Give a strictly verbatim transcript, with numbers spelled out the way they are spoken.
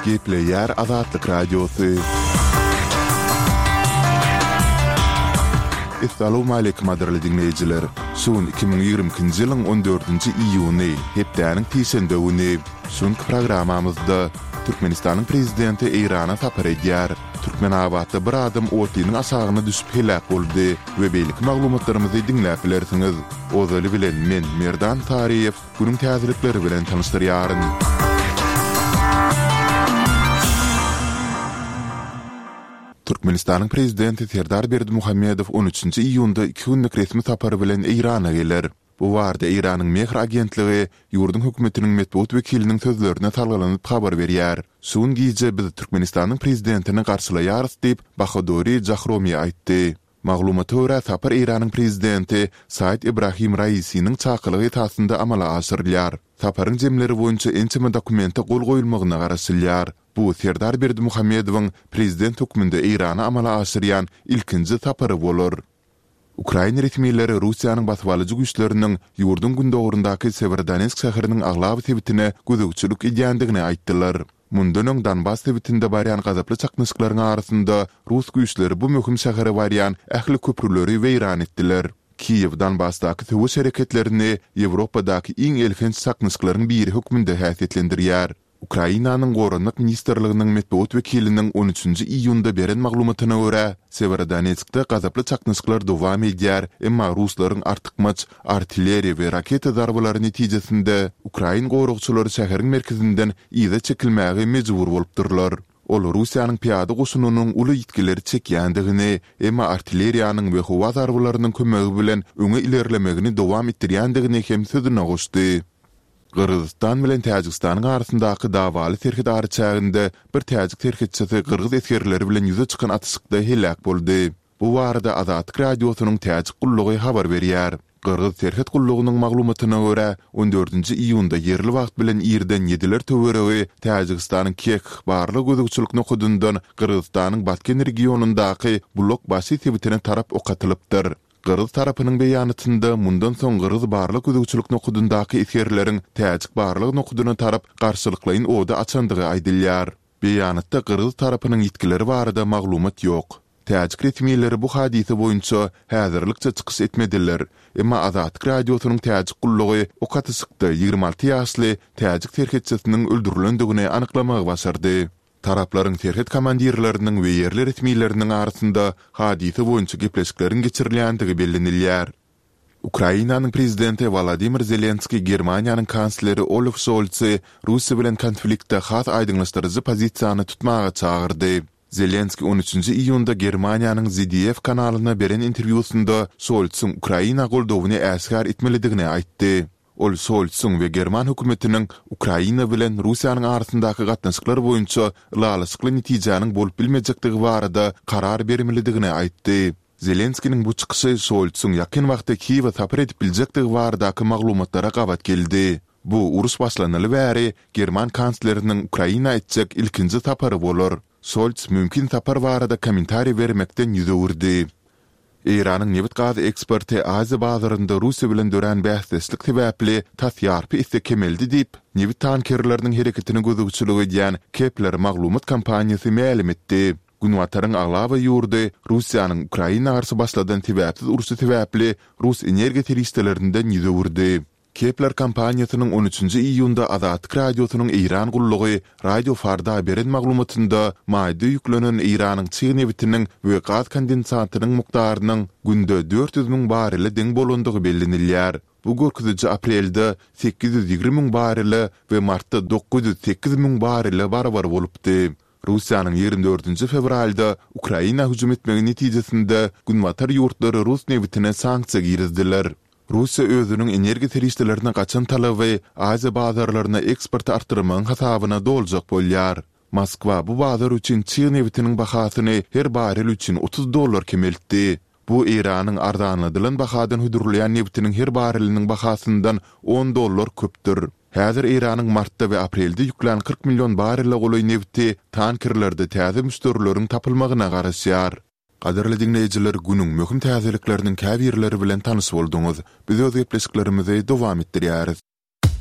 Gepleýär Azatlyk Radiosy. Essalawmaleýkim gadyrly diňleýjiler! Şu gün iki müň ýigrimi ikinji ýylyň on dördünji iýuny, hepdäniň sişenbe güni. Şu günki programmamyzda Türkmenistanyň Prezidenti Eýrana sapar edýär. Türkmenabatda bir adam otlynyň aşagyna düşüp heläk boldy we beýleki maglumatlarymyzy diňläp bilersiňiz. Ozaly bilen men, Merdan Saryýew, günüň täzelikleri bilen tanyşdyrýaryn. Türkmenistanyň Prezidenti Serdar Berdimuhamedow on üçünji iýunda iki günlük resmi sapar bilen Eýrana geler. Bu barada Eýranyň Mehr agentligi ýurduň hökümetiniň metbugat wekiliniň sözlerine salgylanyp habar berýär. Şu gün gije biz Türkmenistanyň Prezidentini garşylaýarys diýip, Bahadori Jahromi aýtdy. Maglumata görä, sapar Eýranyň Prezidenti Said Ebrahim Raisiniň çakylygy esasynda amala aşyrylýar. Saparyň jemleri boýunça ençeme dokumente gol goýulmagyna garaşylýar. Bu Serdar Berdimuhamedowyň Prezident hökmünde Eýrana amala aşyrýan ilkinji sapary bolar. Ukrain resmileri Russiýanyň basybalyjy güýçleriniň ýurduň gündogaryndaky Sewerodonetsk şäheriniň aglaba sebitine gözegçilik edýändigini aýtdylar. Mundan öň Donbas sebitinde barýan gazaply çaknyşyklaryň arasynda rus güýçleri bu möhüm şähere barýan ähli köprüleri weýran etdiler. Kiýew Donbasdaky söweş hereketlerini Ýewropadaky iň elhenç çaknyşyklaryň biri hökmünde häsiýetlendirýär. Ukrainanyň Goranmak ministrliginiň metbugat wekiliniň on üçünji iýunda beren maglumatyna görä, Sewerodonetskde gazaply çaknyşyklar dowam edýär, emma ruslaryň artykmaç artilleriýa we raketa zarbalary netijesinde ukrain goragçylary şäheriň merkezinden yza çekilmäge mejbur bolupdyrlar. Ol Russiýanyň pyýada goşunynyň uly ýitgileri çekýändigini, emma artilleriýanyň we howa zarbalarynyň kömegi bilen öňe ilerlemegini dowam etdirýändigini hem sözüne goşdy. Gyrgyzystan bilen Täjigistanyň arasyndaky dawaly serhet araçäginde bir täjik serhetçisi gyrgyz esgerleri bilen ýüze çykan atyşykda heläk boldy. Bu barada Azatlyk Radiosynyň Täjik gullugy habar berýär. Gyrgyz serhet gullugynyň maglumatyna görä, on dördünji iýunda ýerli wagt bilen irden ýediler töweregi Täjigistanyň Kekh barlag-gözegçilik nokadyndan Gyrgyzystanyň Batken regionyndaky Bulak-Başy sebitine tarap ok atylypdyr. Gyrgyz tarapynyň beýanatynda mundan soň gyrgyz barlag-gözegçilik nokadyndaky esgerleriň täjik barlag nokadyna tarap garşylyklaýyn ody açandygy aýdylýar. Beýanatda gyrgyz tarapynyň ýitgileri barada maglumat ýok. Täjik resmileri bu hadysa boýunça häzirlikçe çykyş etmediler, emma Azatlyk Radiosynyň täjik gullugy ok atyşykda ýigrimi alty ýaşly täjik serhetçisiniň öldürilendigini anyklamagy başardy. Taraplaryň serhet komandirleriniň we ýerli resmileriniň arasynda hadysa boýunça gepleşikleriň geçirilýändigi bellenilýär. Ukrainanyň Prezidenti Wolodymyr Zelenskiý Germaniýanyň kansleri Olaf Şolsy Russiýa bilen konfliktde has aýdyňlaşdyryjy pozisiýany tutmaga çagyrdy. Zelenskiý on üçünji iýunda Germaniýanyň Z D F kanalyna beren interwýusynda Şolsuň Ukraina goldawyny äşgär etmelidigini aýtdy. Ol Şolsuň we german hökümetiniň Ukraina bilen Russiýanyň arasyndaky gatnaşyklar boýunça ylalaşykly netijäniň bolup bilmejekdigi barada karar bermelidigini aýtdy. Zelenskiniň bu çykyşy Şolsuň ýakyn wagtda Kiýewe sapar edip biljekdigi baradaky maglumatlara gabat geldi. Bu uruş başlanaly bäri german kansleriniň Ukraina etjek ilkinji sapary bolar. Şolts mümkin sapar barada kommentariý bermekden ýüz öwürdi. Eýranyň nebit-gaz eksporty Aziýa bazarynda Russiýa bilen dörän bäsdeşlik sebäpli tas ýarpy esse kemeldi diýip, nebit tankerleriniň hereketine gözegçilik edýän Kepler maglumat kompaniýasy mälim etdi. Günbataryň aglaba ýurdy Russiýanyň Ukraina garşy başladan sebäpsiz urşy sebäpli rus energiýa serişdelerinden ýüz öwürdi. Kepler kompaniýasynyň on üçünji iýunda Azatlyk Radiosynyň Eýran gullugy Radio Farda beren maglumatynda maýda ýüklenen Eýranyň çig nebitiniň we gaz kondensatynyň mukdarynyň günde dört ýüz müň barrele deň bolandygy bellenilýär. Bu görkeziji aprelde sekiz ýüz ýigrimi müň barrele we martda dokuz ýüz sekiz müň barrele barabar bolupdy. Russiýanyň ýigrimi dördünji fewralda Ukraina hüjüm etmegi netijesinde günbatar ýurtlary rus nebitine sanksiýa girizdiler. Russiýa özüniň energiýa serişdelerine gaçan talaby Aziýa bazarlaryna eksporty artdyrmagyň hasabyna doljak bolýar. Moskwa bu bazar üçin çig nebitiniň bahasyny her barrel üçin otuz dollar kemeltdi. Bu Eýranyň arzanladylan bahadan hödürleýän nebitiniň her barreliniň bahasyndan on dollar köpdür. Häzir Eýranyň martda we aprelde ýüklän kyrk million barrele golaý nebiti tankerlerde täze müşderileriň tapylmagyna garaşýar. Gadyrly diňleýjiler, günüň möhüm täzelikleriniň käbirleri bilen tanyş bolduňyz. Biz öz gepleşiklerimizi dowam etdirýäris.